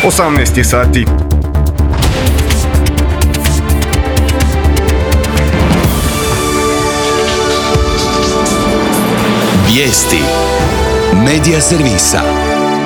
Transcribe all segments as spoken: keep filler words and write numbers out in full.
osamnaest je sati. Vijesti Medija servisa.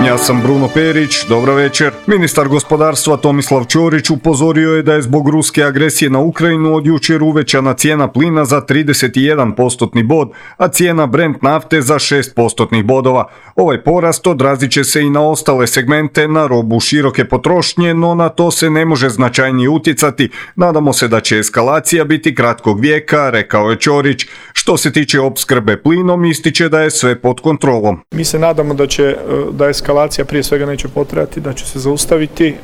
Ja sam Bruno Perić, dobro večer. Ministar gospodarstva Tomislav Ćorić upozorio je da je zbog ruske agresije na Ukrajinu od jučer uvećana cijena plina za trideset jedan postotni bod, a cijena Brent nafte za šest postotnih bodova. Ovaj porast odrazit će se i na ostale segmente, na robu široke potrošnje, no na to se ne može značajnije utjecati. Nadamo se da će eskalacija biti kratkog vijeka, rekao je Ćorić. Što se tiče opskrbe plinom, ističe da je sve pod kontrolom. Mi se nadamo da će da eskalacija prije svega neće potrajati, da će se zaustaviti,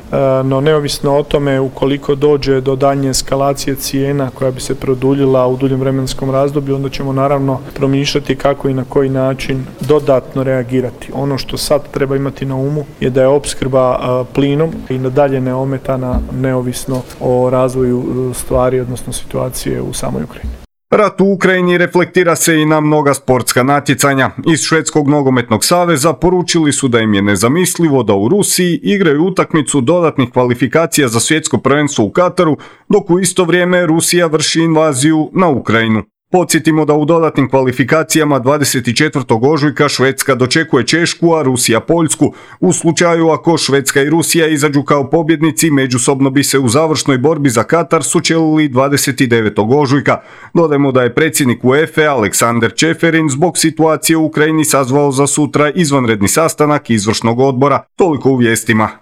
no neovisno o tome ukoliko dođe do daljnje eskalacije cijena koja bi se produljila u duljem vremenskom razdoblju, onda ćemo naravno promišljati kako i na koji način dodatno reagirati. Ono što sad treba imati na umu je da je opskrba plinom i nadalje neometana neovisno o razvoju stvari, odnosno situacije u samoj Ukrajini. Rat u Ukrajini reflektira se i na mnoga sportska natjecanja. Iz Švedskog nogometnog saveza poručili su da im je nezamislivo da u Rusiji igraju utakmicu dodatnih kvalifikacija za svjetsko prvenstvo u Kataru, dok u isto vrijeme Rusija vrši invaziju na Ukrajinu. Podsjetimo da u dodatnim kvalifikacijama dvadeset četvrtog ožujka Švedska dočekuje Češku, a Rusija Poljsku. U slučaju ako Švedska i Rusija izađu kao pobjednici, međusobno bi se u završnoj borbi za Katar sučelili dvadeset devetog ožujka. Dodajmo da je predsjednik UEFA Aleksander Čeferin zbog situacije u Ukrajini sazvao za sutra izvanredni sastanak izvršnog odbora. Toliko u vijestima.